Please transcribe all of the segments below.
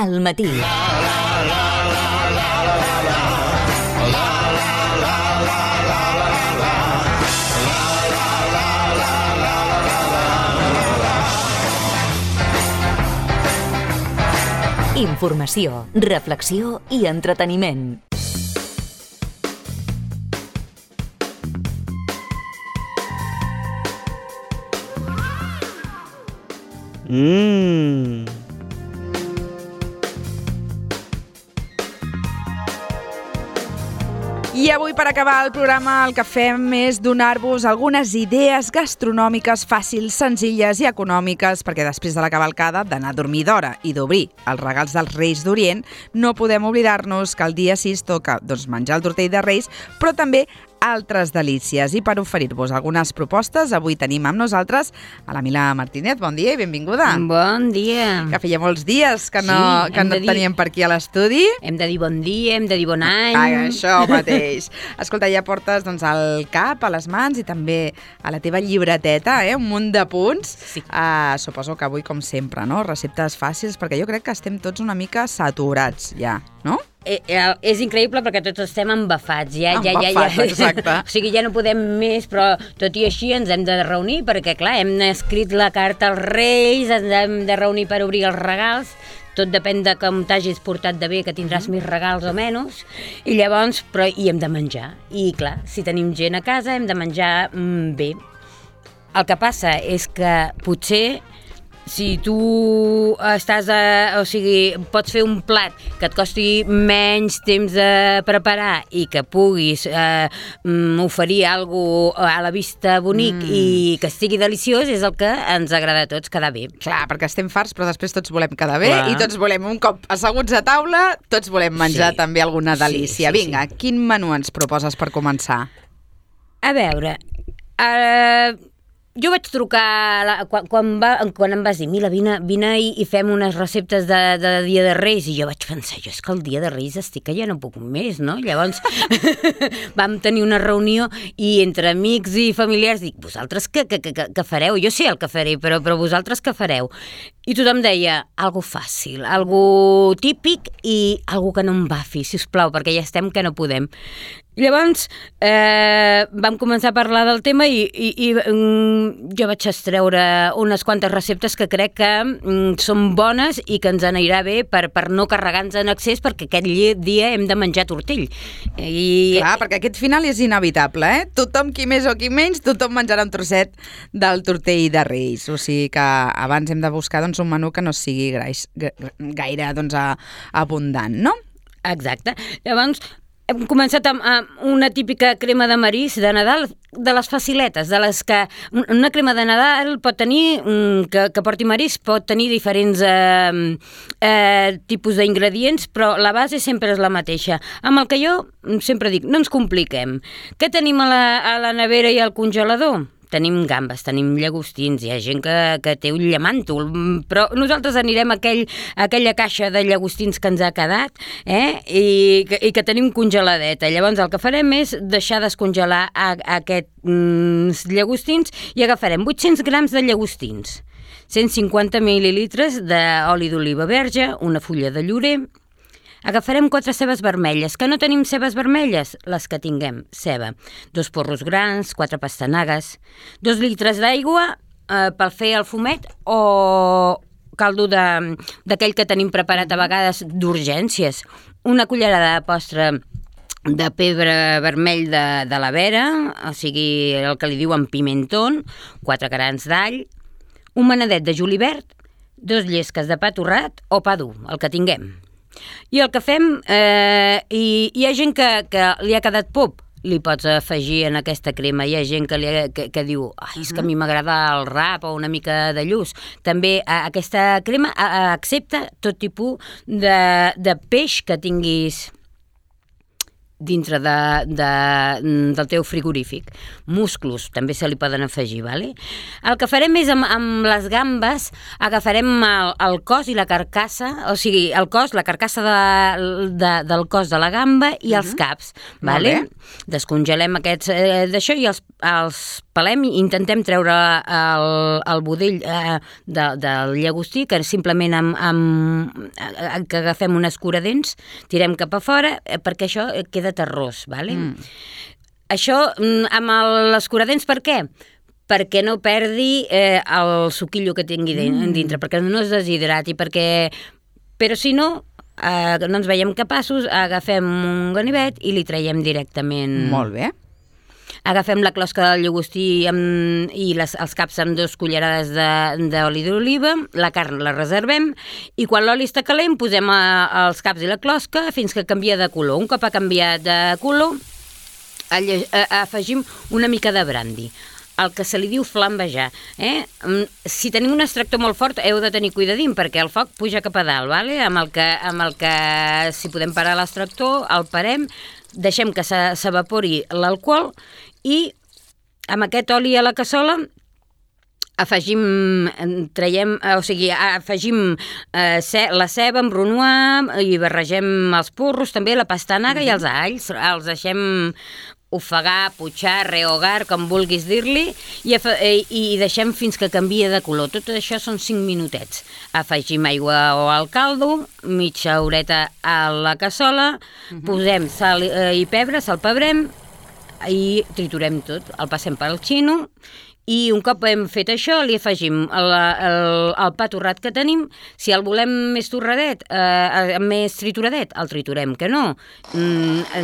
al matí. Informació, reflexió i entreteniment. I avui, per acabar el programa, el que fem és donar-vos algunes idees gastronòmiques fàcils, senzilles i econòmiques, perquè després de la cavalcada, d'anar a dormir d'hora i d'obrir els regals dels Reis d'Orient, no podem oblidar-nos que el dia 6 toca menjar el tortell de Reis, però també altres delícies. I per oferir-vos algunes propostes, avui tenim amb nosaltres a la Mila Martínez. Bon dia i benvinguda. Bon dia. Que feia molts dies que no et teníem per aquí a l'estudi. Hem de dir bon dia, hem de dir bon any. Això mateix. Escolta, ja portes al cap, a les mans i també a la teva llibreteta, un munt de punts. Sí. Suposo que avui, com sempre, no? Receptes fàcils, perquè jo crec que estem tots una mica saturats ja, no? És increïble perquè tots estem embafats. Embafats, exacte. O sigui, ja no podem més, però tot i així ens hem de reunir perquè, clar, hem escrit la carta als Reis, ens hem de reunir per obrir els regals. Tot depèn de com t'hagis portat de bé, que tindràs més regals o menys. I llavors, hi hem de menjar. I, clar, si tenim gent a casa, hem de menjar bé. El que passa és que potser si tu pots fer un plat que et costi menys temps de preparar i que puguis oferir alguna cosa a la vista bonic i que estigui deliciós, és el que ens agrada a tots, quedar bé. Clar, perquè estem farts, però després tots volem quedar bé. Clar. I tots volem, un cop asseguts a taula, tots volem menjar també alguna delícia. Vinga, quin menú ens proposes per començar? A veure, jo vaig trucar quan em vas dir, Mila, vine i fem unes receptes de Dia de Reis, i jo vaig pensar, és que el Dia de Reis estic que ja no puc més, no? Llavors vam tenir una reunió i entre amics i familiars dic, vosaltres què fareu? Jo sé el que faré, però vosaltres què fareu? I tothom deia, algo fàcil, algo típic i algo que no em bafi, sisplau, perquè ja estem que no podem. Llavors vam començar a parlar del tema i jo vaig extreure unes quantes receptes que crec que són bones i que ens anirà bé per no carregar-nos en excés, perquè aquest dia hem de menjar tortell. Clar, perquè aquest final és inevitable, Tothom, qui més o qui menys, tothom menjarà un trosset del tortell de Reis. O sigui que abans hem de buscar un menú que no sigui gaire abundant, no? Exacte. Llavors, hem començat amb una típica crema de marisc de Nadal, de les faciletes, de les que una crema de Nadal pot tenir, que porti marisc, pot tenir diferents tipus d'ingredients, però la base sempre és la mateixa. Amb el que jo sempre dic, no ens compliquem. Què tenim a la nevera i al congelador? Tenim gambes, tenim llagostins, hi ha gent que té un llamàntol, però nosaltres anirem a aquella caixa de llagostins que ens ha quedat i que tenim congeladeta. Llavors el que farem és deixar descongelar aquests llagostins i agafarem 800 grams de llagostins, 150 mil·lilitres d'oli d'oliva verge, una fulla de llorer. Agafarem 4 cebes vermelles. Que no tenim cebes vermelles? Les que tinguem. Ceba. 2 porros grans, 4 pastanagues, 2 litres d'aigua per fer el fumet o caldo d'aquell que tenim preparat a vegades d'urgències. Una cullerada de postre de pebre vermell de la vera, o sigui, el que li diuen pimentón, 4 grans d'all, un manadet de julivert, 2 llesques de pa torrat o pa dur, el que tinguem. I el que fem, hi ha gent que li ha quedat pop, li pots afegir en aquesta crema. Hi ha gent que diu, és que a mi m'agrada el rap o una mica de lluç. També aquesta crema accepta tot tipus de peix que tinguis dintre del teu frigorífic. Musclos també se li poden afegir, vale? El que farem és amb les gambes, agafarem el cos i la carcassa, o sigui, el cos, la carcassa del cos de la gamba i els caps, vale? Descongelem aquests d'això i els pelem i intentem treure el budell del llagostí, que simplement que agafem un escuradents, tirem cap a fora, perquè això queda terrós, vale? Això amb l'escuradents per què? Perquè no perdi el suquillo que tingui dintre, perquè no es deshidrati, però si no ens veiem capaços, agafem un ganivet i li traiem directament. Molt bé. Agafem la closca del llagostí i els caps amb 2 cullerades d'oli d'oliva, la carn la reservem i quan l'oli està calent posem els caps i la closca fins que canvia de color. Un cop ha canviat de color afegim una mica de brandy, el que se li diu flambejar. Si tenim un extractor molt fort heu de tenir cuidadín perquè el foc puja cap a dalt, vale? Amb el que si podem parar l'extractor el parem, deixem que s'evapori l'alcohol i amb aquest oli a la cassola afegim la ceba amb brunoise i barregem els porros, també la pastanaga i els alls, els deixem ofegar, putxar, rehogar, com vulguis dir-li, i deixem fins que canvia de color. Tot això són 5 minutets. Afegim aigua o al caldo, mitja horeta a la cassola, posem sal i pebre, salpebrem i triturem tot. El passem pel xino i un cop hem fet això li afegim el pa torrat que tenim. Si el volem més torradet, més trituradet, el triturem, que no,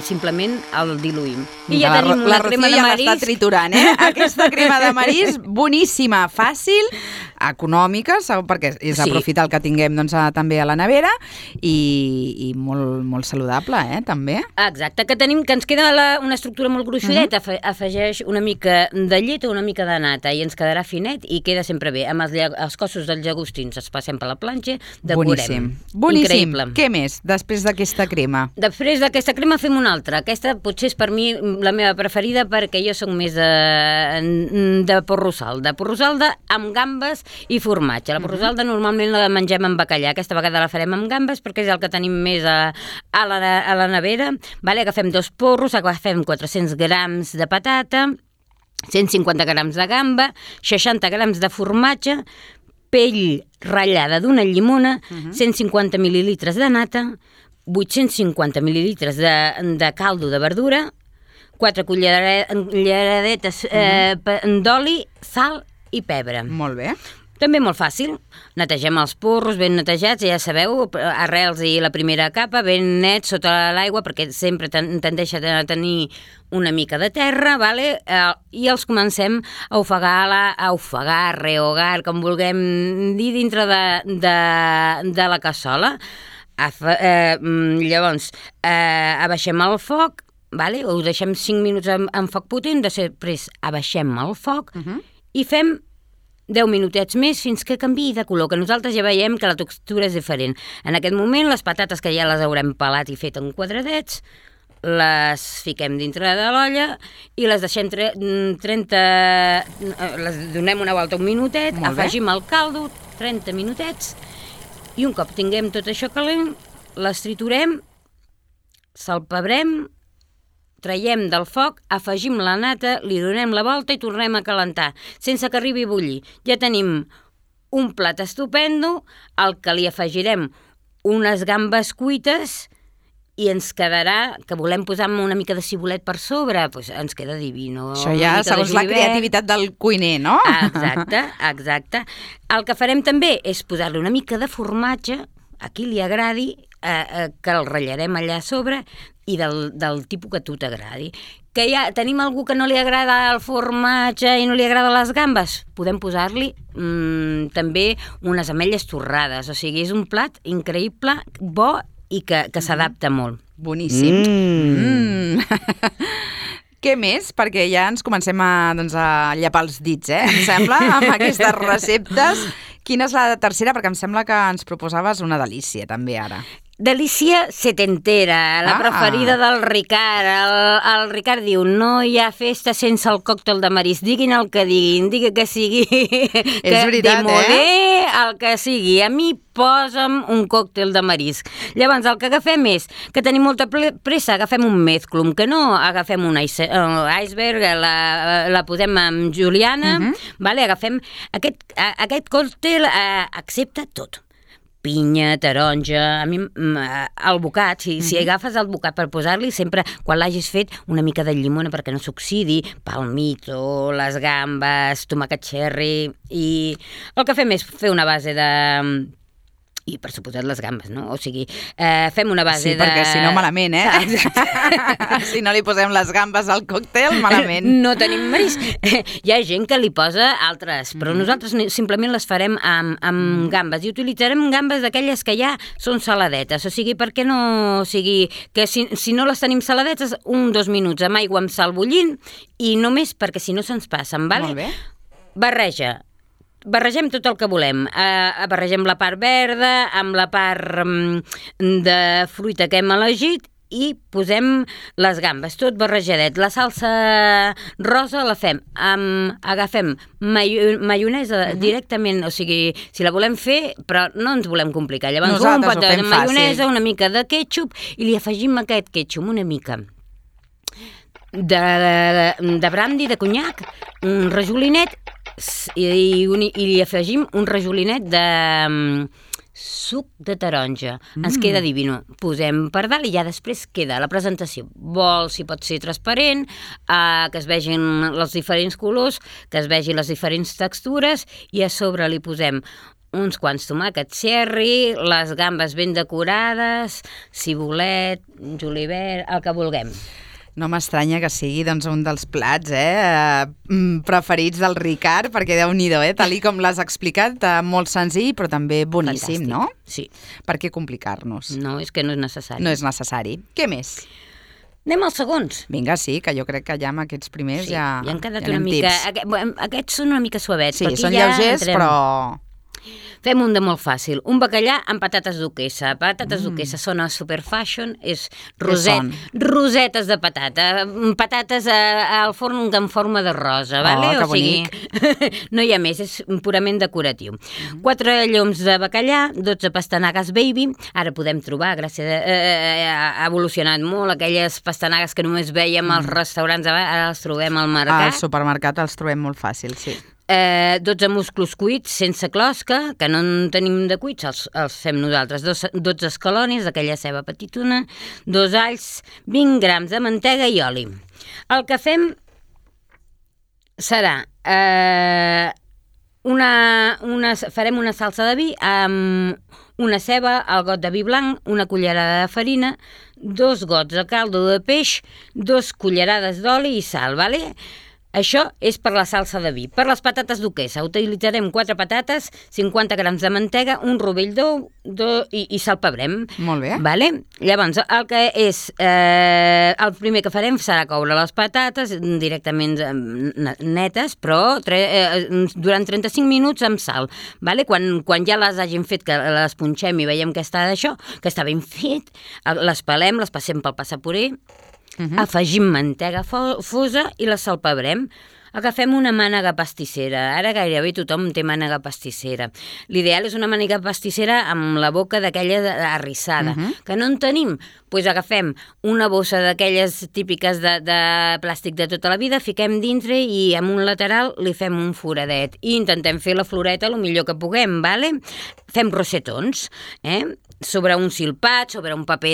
simplement el diluïm. I ja tenim una crema de marisc. La Rocío ja l'està triturant, Aquesta crema de marisc, boníssima, fàcil, econòmica, perquè és aprofitar el que tinguem també a la nevera i molt, molt saludable, també. Exacte, que ens queda una estructura molt gruixudeta, afegeix una mica de llet o una mica de nata i ens quedarà finet i queda sempre bé. Amb els cossos dels llagostins els passem per la planxa, decorem. Boníssim. Increïble. Què més després d'aquesta crema? Després d'aquesta crema fem una altra. Aquesta potser és per mi la meva preferida perquè jo soc més de porrosalda. Porrosalda amb gambes i formatge. La porrosalda normalment la mengem amb bacallà. Aquesta vegada la farem amb gambes perquè és el que tenim més a la nevera. Agafem 2 porros, agafem 400 grams de patata, 150 grams de gamba, 60 grams de formatge, pell ratllada d'una llimona, 150 mil·lilitres de nata, 850 mil·lilitres de caldo de verdura, 4 culleradetes d'oli, sal i pebre. Molt bé. També molt fàcil. Netegem els porros ben netejats, ja sabeu, arrels i la primera capa, ben nets sota l'aigua, perquè sempre tendeix a tenir una mica de terra, i els comencem a ofegar, rehogar, com vulguem dir, dintre de la cassola. Llavors, abaixem el foc, ho deixem 5 minuts en foc potent, després abaixem el foc i fem 10 minutets més fins que canviï de color, que nosaltres ja veiem que la textura és diferent. En aquest moment, les patates que ja les haurem pelat i fet en quadradets, les fiquem dintre de l'olla i les deixem les donem una volta un minutet, afegim el caldo, 30 minutets, i un cop tinguem tot això calent, les triturem, salpebrem, traiem del foc, afegim la nata, li donem la volta i tornem a calentar, sense que arribi a bullir. Ja tenim un plat estupendo, al que li afegirem unes gambes cuites i ens quedarà, que volem posar una mica de cibulet per sobre, doncs ens queda divino. Això ja segons la creativitat del cuiner, no? Exacte. El que farem també és posar-li una mica de formatge, a qui li agradi, que el ratllarem allà a sobre, i del tipus que a tu t'agradi. Que ja tenim algú que no li agrada el formatge i no li agrada les gambes, podem posar-li també unes ametlles torrades. O sigui, és un plat increïble, bo i que s'adapta molt. Boníssim. Què més? Perquè ja ens comencem a llapar els dits, em sembla, amb aquestes receptes. Quina és la tercera? Perquè em sembla que ens proposaves una delícia, també, ara. Delícia setentera, la preferida del Ricard. El Ricard diu, no hi ha festa sense el còctel de marisc. Diguin el que diguin, digui que sigui és veritat, el que sigui. A mi posa'm un còctel de marisc. Llavors, el que agafem és que tenim molta pressa, agafem un mezclum, que no agafem un iceberg, la posem amb juliana, vale? Agafem aquest còctel, accepta tot. Pinya, taronja, a mi el bocat, si agafes el bocat per posar-li, sempre, quan l'hagis fet, una mica de llimona perquè no s'oxidi, palmito, les gambes, tomàquet cherry, i el que fem és fer una base de... i per suposat les gambes, no? O sigui, fem una base de... Sí, perquè si no malament, si no li posem les gambes al còctel, malament. No tenim marisc. Hi ha gent que li posa altres, però nosaltres simplement les farem amb gambes i utilitzarem gambes d'aquelles que ja són saladetes. O sigui, per què no... O sigui, que si no les tenim saladetes, 1-2 minuts amb aigua amb sal bullint i només perquè si no se'ns passen, vale? Molt bé. Barregem tot el que volem. Barregem la part verda amb la part de fruita que hem elegit i posem les gambes, tot barrejadet. La salsa rosa la fem agafem maionesa directament, o sigui, si la volem fer, però no ens volem complicar. Llavors, un pot de maionesa, una mica de ketchup i li afegim aquest ketchup, una mica de brandy, de conyac, un rajolinet i li afegim un rajolinet de suc de taronja. Ens queda divino. Posem per dalt i ja després queda la presentació. Vol, si pot ser transparent, que es vegin els diferents colors, que es vegin les diferents textures i a sobre li posem uns quants tomàquets cherry, les gambes ben decorades, cibulet, julivert, el que vulguem. No m'estranya que sigui un dels plats preferits del Ricard, perquè Déu-n'hi-do, tal com l'has explicat, molt senzill, però també boníssim, fantàstic, no? Sí. Per què complicar-nos? No, és que no és necessari. No és necessari. Què més? Anem als segons. Vinga, sí, que jo crec que ja amb aquests primers ja han quedat una mica... Aquests són una mica suavets. Sí, són lleugers, però... Fem un de molt fàcil. Un bacallà amb patates duquesa. Patates duquesa sona super fashion, és rosetes de patata. Patates al forn en forma de rosa, vale? Que bonic. No hi ha més, és purament decoratiu. 4 lloms de bacallà, 12 pastanagues baby. Ara podem trobar, gràcies ha evolucionat molt, aquelles pastanagues que només vèiem als restaurants, ara les trobem al mercat. Al supermercat els trobem molt fàcil, sí. 12 musclos cuits sense closca, que no en tenim de cuits, els fem nosaltres. 12 escalonis, aquella ceba petitona, 2 alls, 20 grams de mantega i oli. El que fem serà... farem una salsa de vi amb una ceba, el got de vi blanc, una cullerada de farina, 2 gots de caldo de peix, 2 cullerades d'oli i sal, vale? Això és per la salsa de vi. Per les patates duquesa utilitzarem 4 patates, 50 grams de mantega, un rovell d'ou i salpebrem. Molt bé. Vale? Llavors, el que és... el primer que farem serà coure les patates directament netes, però durant 35 minuts amb sal. Vale? Quan ja les hagin fet, que les punxem i veiem que està d'això, que està ben fet, les pelem, les passem pel passapurer, afegim mantega fosa i la salpebrem. Agafem una mànega pastissera. Ara gairebé tothom té mànega pastissera. L'ideal és una mànega pastissera amb la boca d'aquella arrissada. Que no en tenim? Doncs agafem una bossa d'aquelles típiques de plàstic de tota la vida, fiquem dintre i amb un lateral li fem un foradet. I intentem fer la floreta el millor que puguem, vale? Fem rosetons, sobre un silpat, sobre un paper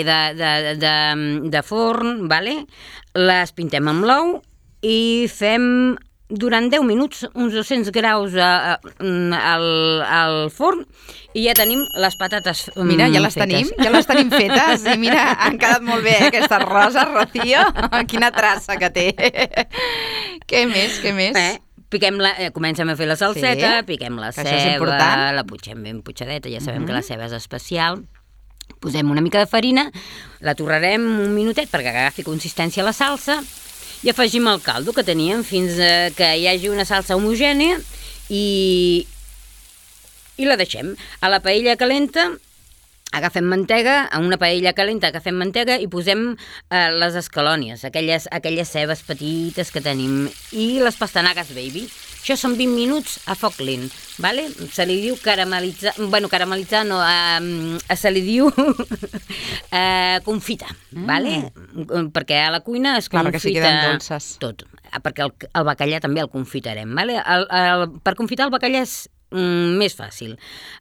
de forn, vale? Les pintem amb l'ou i fem durant 10 minuts uns 200 graus al forn i ja tenim les patates Mira, ja les tenim fetes i mira, han quedat molt bé aquesta rosa, Rocío, quina traça que té. Què més? Comencem a fer la salseta, piquem la ceba, la putxem ben putxadeta, ja sabem que la ceba és especial. Posem una mica de farina, la torrarem un minutet perquè agafi consistència la salsa i afegim el caldo que teníem fins que hi hagi una salsa homogènia i i la deixem. A la paella calenta agafem mantega, a una paella calenta agafem mantega i posem les escalònies, aquelles cebes petites que tenim, i les pastanagues baby. Això són 20 minuts a foc lent, ¿vale? Se li diu caramelitzar, caramelitzar no, se li diu confitar, ¿vale? Perquè a la cuina es confita... Clar, perquè si queden dolces. Tot, perquè el bacallà també el confitarem, ¿vale? Per confitar el bacallà és més fàcil.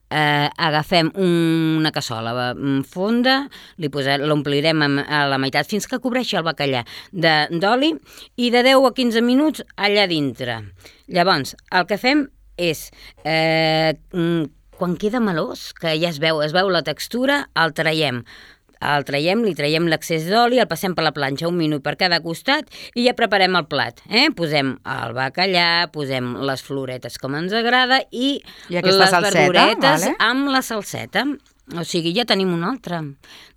Agafem una cassola fonda, l'omplirem a la meitat fins que cobreixi el bacallà d'oli i de 10 a 15 minuts allà dintre. Llavors, el que fem és, quan queda melós, que ja es veu la textura, el traiem, li traiem l'excés d'oli, el passem per la planxa 1 minut per cada costat i ja preparem el plat. Posem el bacallà, posem les floretes com ens agrada i les verduretes amb la salseta. O sigui, ja tenim un altre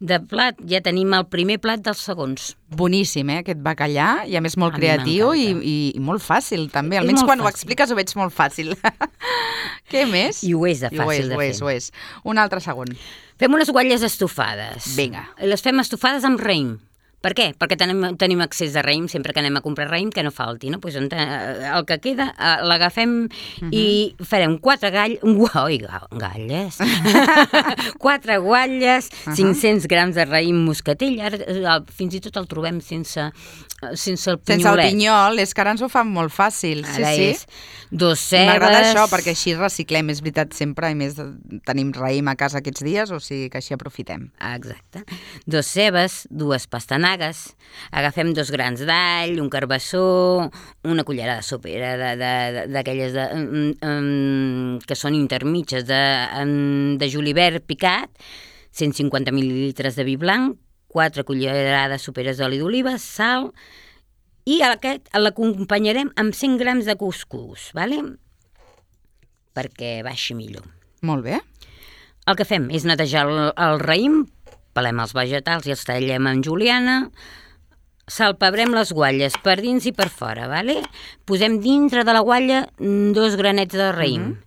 de plat, ja tenim el primer plat dels segons. Boníssim, aquest bacallà, i a més molt creatiu i molt fàcil, també. Almenys quan ho expliques ho veig molt fàcil. Què més? I ho és de fàcil de fer. Ho és. Un altre segon. Fem unes guatlles estofades. Vinga. Les fem estofades amb raïm. Per què? Perquè tenim accés de raïm sempre que anem a comprar raïm, que no falti, no? Pues el que queda l'agafem i farem 4 galles, 4 guatlles, 500 grams de raïm moscatell, ara fins i tot el trobem sense el pinyolet. Sense el pinyol, és que ara ens ho fan molt fàcil. Ara és 2 cebes... M'agrada això, perquè així reciclem, és veritat, sempre, i més tenim raïm a casa aquests dies, o sigui que així aprofitem. Exacte. 2 cebes, 2 pastanagues, agafem 2 grans d'all, un carbassó, una cullerada sopera d'aquelles que són intermitges de julivert picat, 150 mil·lilitres de vi blanc, 4 cullerades soperes d'oli d'oliva, sal, i aquest l'acompanyarem amb 100 grams de cuscús, ¿vale? Perquè baixi millor. Molt bé. El que fem és netejar el raïm, pelem els vegetals i els tallem en juliana, salpebrem les guatlles per dins i per fora, ¿vale? Posem dintre de la guatlla 2 granets de raïm.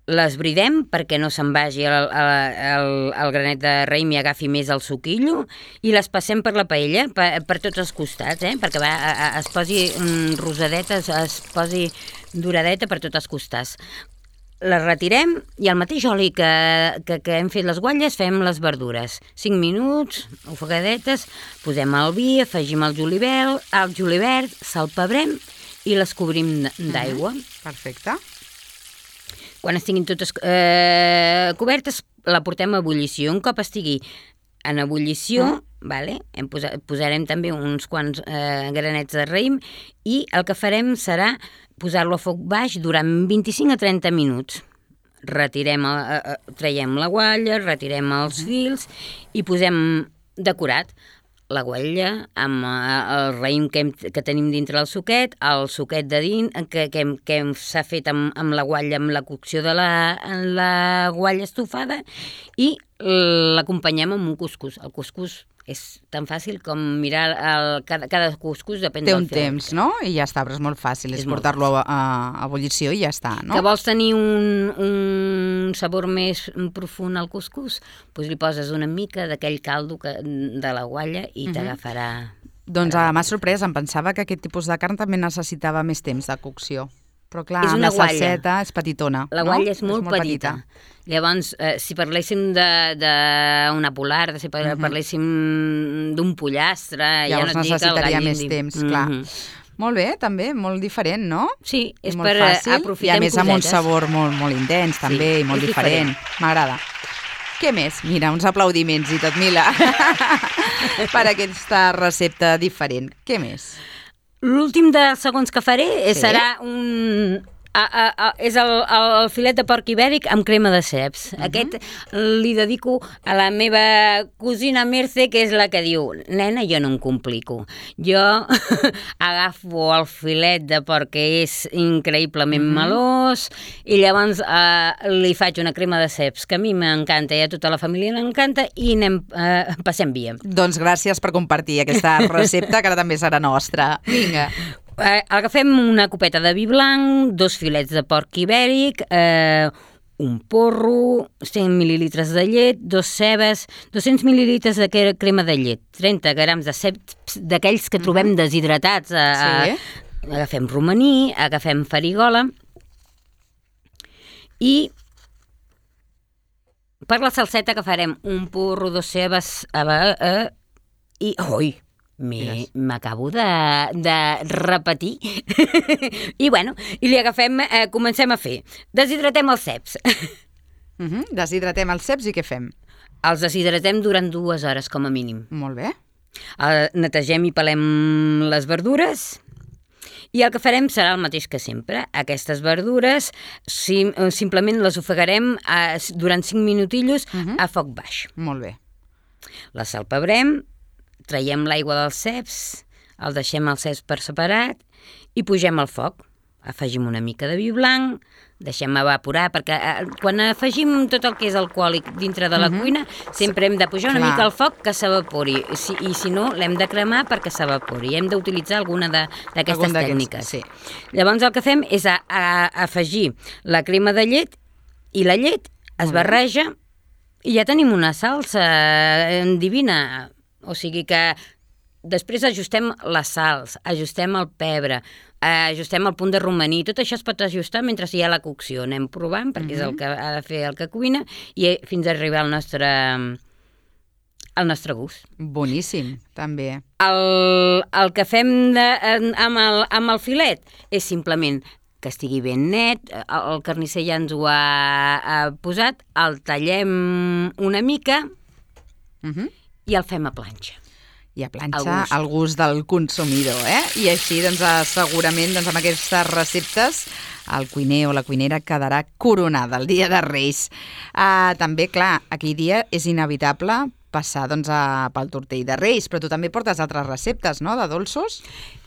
Les bridem perquè no se'n vagi el granet de raïm i agafi més el suquillo, i les passem per la paella, per tots els costats, perquè es posi rosadeta, es posi doradeta per tots els costats. Les retirem i al mateix oli que hem fet les guatlles fem les verdures. 5 minuts, ofegadetes, posem el vi, afegim el julivert, salpebrem i les cobrim d'aigua. Perfecte. Quan estiguin totes cobertes, la portem a ebullició. Un cop estigui en ebullició, posarem també uns quants granets de raïm i el que farem serà posar-lo a foc baix durant 25 a 30 minuts. Traiem la guatlla, retirem els fils i posem decorat la guatlla amb el raïm que tenim dintre del suquet, el suquet de dins que s'ha fet amb la guatlla, amb la cocció de la guatlla estofada, i l'acompanyem amb un cuscús. El cuscús és tan fàcil com mirar cada cuscús, depèn del filet. Té un temps, no? I ja està, però és molt fàcil, és portar-lo a ebullició i ja està, no? Que vols tenir un sabor més profund al cuscús, doncs li poses una mica d'aquell caldo de la guatlla i t'agafarà... Doncs m'ha sorprès, em pensava que aquest tipus de carn també necessitava més temps de cocció. Però clar, amb la salseta és petitona. La guatlla és molt petita. Llavors, si parléssim d'una polar, si parléssim d'un pollastre... Llavors necessitaria més temps, clar. Molt bé, també, molt diferent, no? Sí, és per aprofitar cosetes. I a més amb un sabor molt intens, també, i molt diferent. M'agrada. Què més? Mira, uns aplaudiments i tot, Mila, per aquesta recepta diferent. Què més? L'últim dels segons que faré serà és el filet de porc ibèric amb crema de ceps. Aquest li dedico a la meva cosina Merce, que és la que diu: nena, jo no em complico. Jo agafo el filet de porc, que és increïblement melós, i llavors li faig una crema de ceps, que a mi m'encanta i a tota la família l'encanta, i passem via. Doncs gràcies per compartir aquesta recepta, que ara també serà nostra. Vinga. Agafem una copeta de vi blanc, 2 filets de porc ibèric, un porro, 100 mil·lilitres de llet, 2 cebes, 200 mil·lilitres de crema de llet, 30 grams de ceps d'aquells que trobem deshidratats. Agafem romaní, agafem farigola i per la salseta que farem un porro, 2 cebes i... Ui! M'acabo de repetir. I bueno, i li agafem, comencem a fer. Deshidratem els ceps. Deshidratem els ceps i què fem? Els deshidratem durant 2 hores, com a mínim. Molt bé. Netegem i pelem les verdures i el que farem serà el mateix que sempre. Aquestes verdures simplement les ofegarem durant 5 minutillos a foc baix. Molt bé. Les salpebrem, traiem l'aigua dels ceps, el deixem als ceps per separat i pugem al foc. Afegim una mica de vi blanc, deixem evaporar, perquè quan afegim tot el que és alcohòlic dintre de la cuina, sempre hem de pujar una mica al foc que s'evapori, i si no, l'hem de cremar perquè s'evapori. Hem d'utilitzar alguna d'aquestes tècniques. Sí. Llavors el que fem és afegir la crema de llet i la llet es barreja i ja tenim una salsa divina. O sigui que després ajustem les sals, ajustem el pebre, ajustem el punt de romaní, tot això es pot ajustar mentre hi ha la cocció. Anem provant, perquè és el que ha de fer el que cuina, i fins a arribar al nostre gust. Boníssim, també. El que fem amb el filet és simplement que estigui ben net, el carnisser ja ens ho ha posat, el tallem una mica i el fem a planxa. I a planxa al gust del consumidor, I així, segurament, amb aquestes receptes, el cuiner o la cuinera quedarà coronada el dia de Reis. També, clar, aquell dia és inevitable passar pel tortell de Reis, però tu també portes altres receptes, no?, de dolços?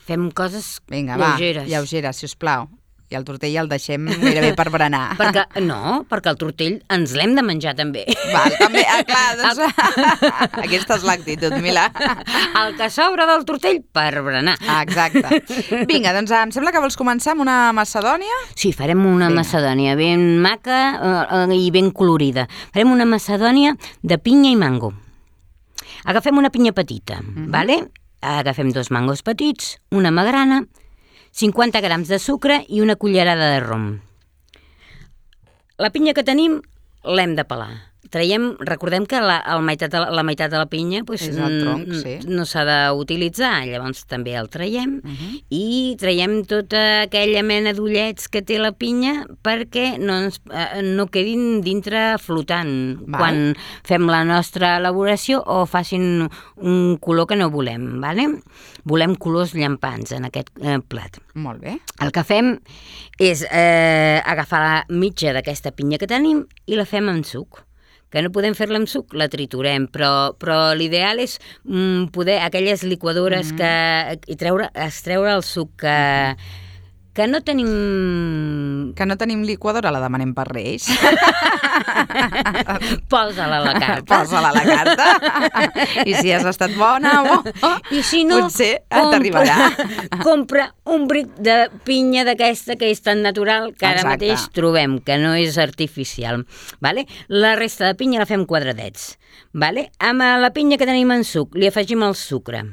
Fem coses lleugeres. Lleugeres, sisplau. I el tortell el deixem gairebé per berenar. Perquè el tortell ens l'hem de menjar també. Val, també, clar, doncs aquesta és l'actitud, Milà. El que sobra del tortell per berenar. Exacte. Vinga, doncs em sembla que vols començar amb una macedònia? Sí, farem una macedònia ben maca i ben colorida. Farem una macedònia de pinya i mango. Agafem una pinya petita, vale? Agafem 2 mangos petits, una magrana, 50 grams de sucre i una cullerada de rom. La pinya que tenim l'hem de pelar. Recordem que la meitat de la pinya no s'ha d'utilitzar, llavors també el traiem i traiem tota aquella mena d'ullets que té la pinya perquè no quedin dintre flotant quan fem la nostra elaboració o facin un color que no volem. Volem colors llampants en aquest plat. Molt bé. El que fem és agafar la mitja d'aquesta pinya que tenim i la fem amb suc. Que no podem fer-la amb suc, la triturem, però l'ideal és poder aquelles liquadores extreure el suc que no tenim... Que no tenim liquadora, la demanem per Reis. Posa-la a la carta. Posa-la a la carta. I si has estat bona, i si no, potser t'arribarà. Compra un bric de pinya d'aquesta que és tan natural que ara mateix trobem, que no és artificial. La resta de pinya la fem quadradets. Amb la pinya que tenim en suc li afegim el sucre.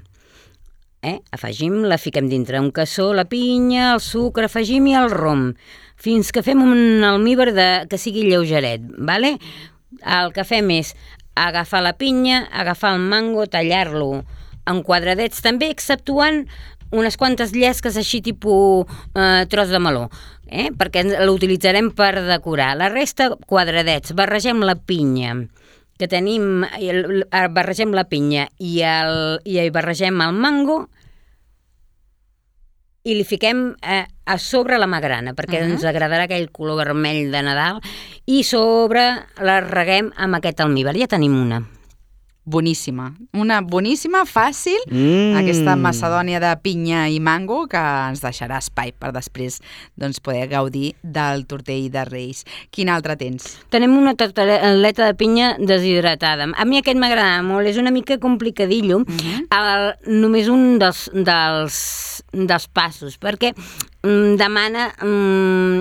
La fiquem dintre un cassó, la pinya, el sucre, afegim i el rom, fins que fem un almíbar que sigui lleugeret, El que fem és agafar la pinya, agafar el mango, tallar-lo en quadradets també, exceptuant unes quantes llesques així tipus tros de meló, perquè l'utilitzarem per decorar. La resta, quadradets, barregem la pinya que tenim, barregem la pinya i barregem el mango i li fiquem a sobre la magrana, perquè ens agradarà aquell color vermell de Nadal, i sobre la reguem amb aquest almíbar. Ja tenim una. Boníssima. Una boníssima, fàcil, aquesta macedònia de pinya i mango que ens deixarà espai per després poder gaudir del tortell de Reis. Quin altre tens? Tenim una tartaleta de pinya deshidratada. A mi aquest m'agrada molt, és una mica complicadillo, només un dels passos, perquè demana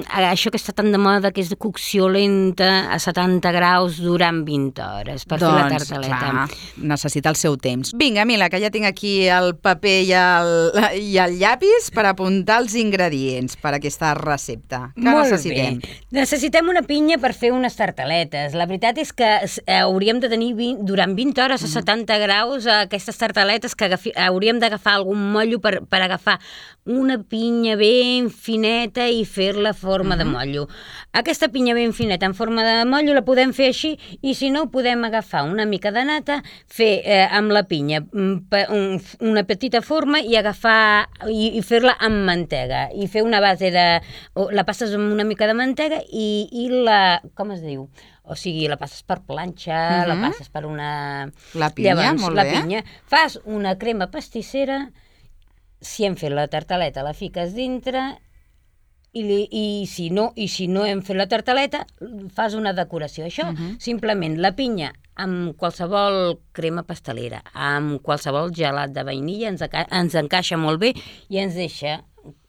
això que està tan de moda, que és de cocció lenta a 70 graus durant 20 hores per fer la tartaleta. Clar, necessita el seu temps. Vinga, Mila, que ja tinc aquí el paper i el llapis per apuntar els ingredients per a aquesta recepta. Què necessitem? Bé. Necessitem una pinya per fer unes tartaletes. La veritat és que hauríem de tenir durant 20 hores a 70 graus aquestes tartaletes, que hauríem d'agafar algun motllo per agafar una pinya ben fineta i fer-la forma de motllo. Aquesta pinya ben fineta en forma de motllo la podem fer així, i si no, podem agafar una mica de nata, fer amb la pinya una petita forma i agafar i fer-la amb mantega, i fer una base de... La passes amb una mica de mantega i la... com es diu? O sigui, la passes per planxa, la passes per una... La pinya, llavors, molt bé. La pinya. Fas una crema pastissera. Si hem fet la tartaleta, la fiques dintre, i si no hem fet la tartaleta, fas una decoració. Això, simplement, la pinya amb qualsevol crema pastelera, amb qualsevol gelat de vainilla, ens encaixa molt bé i ens deixa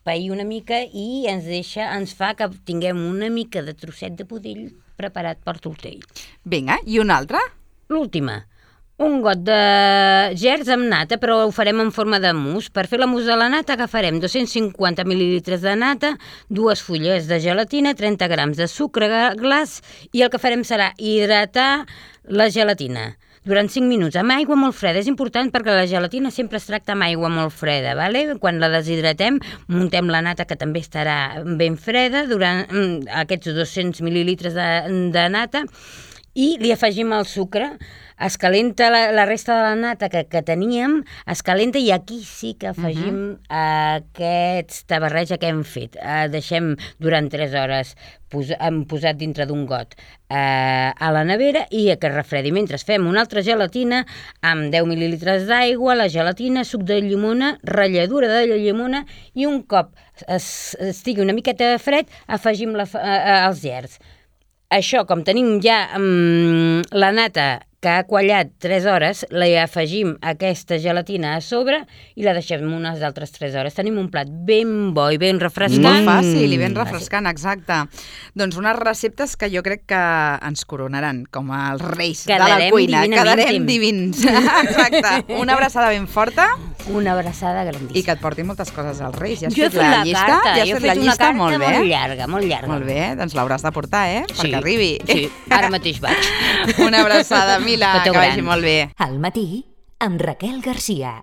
pair una mica i ens fa que tinguem una mica de trosset de pudill preparat per tortell. Vinga, i una altra? L'última. Un got de gerds amb nata, però ho farem en forma de mousse. Per fer la mousse de la nata agafarem 250 mil·lilitres de nata, 2 fulles de gelatina, 30 grams de sucre glaç, i el que farem serà hidratar la gelatina durant 5 minuts amb aigua molt freda. És important perquè la gelatina sempre es tracta amb aigua molt freda, ¿vale? Quan la deshidratem, muntem la nata, que també estarà ben freda, durant aquests 200 mil·lilitres de nata, i li afegim el sucre. Es calenta la resta de la nata que teníem, es calenta, i aquí sí que afegim aquesta barreja que hem fet. Deixem durant 3 hores posat dintre d'un got a la nevera i que refredi. Mentre fem una altra gelatina amb 10 mil·lilitres d'aigua, la gelatina, suc de llimona, ratlladura de llimona, i un cop estigui una miqueta fred, afegim els gerds. Això, com tenim ja la nata que ha quallat 3 hores, li afegim aquesta gelatina a sobre i la deixem unes altres 3 hores. Tenim un plat ben bo i ben refrescant. Molt fàcil i ben refrescant, exacte. Doncs unes receptes que jo crec que ens coronaran com els reis de la cuina. Quedarem divins. Exacte. Una abraçada ben forta. Una abraçada grandíssima. I que et portin moltes coses als reis. Ja has jo fet la llista? Carta. Ja has fet la llista? Molt bé. Molt llarga, molt llarga. Molt bé, doncs l'hauràs de portar, perquè arribi. Sí, ara mateix vaig. Una abraçada, Mila, que vagi molt bé. Al matí, amb Raquel Garcia.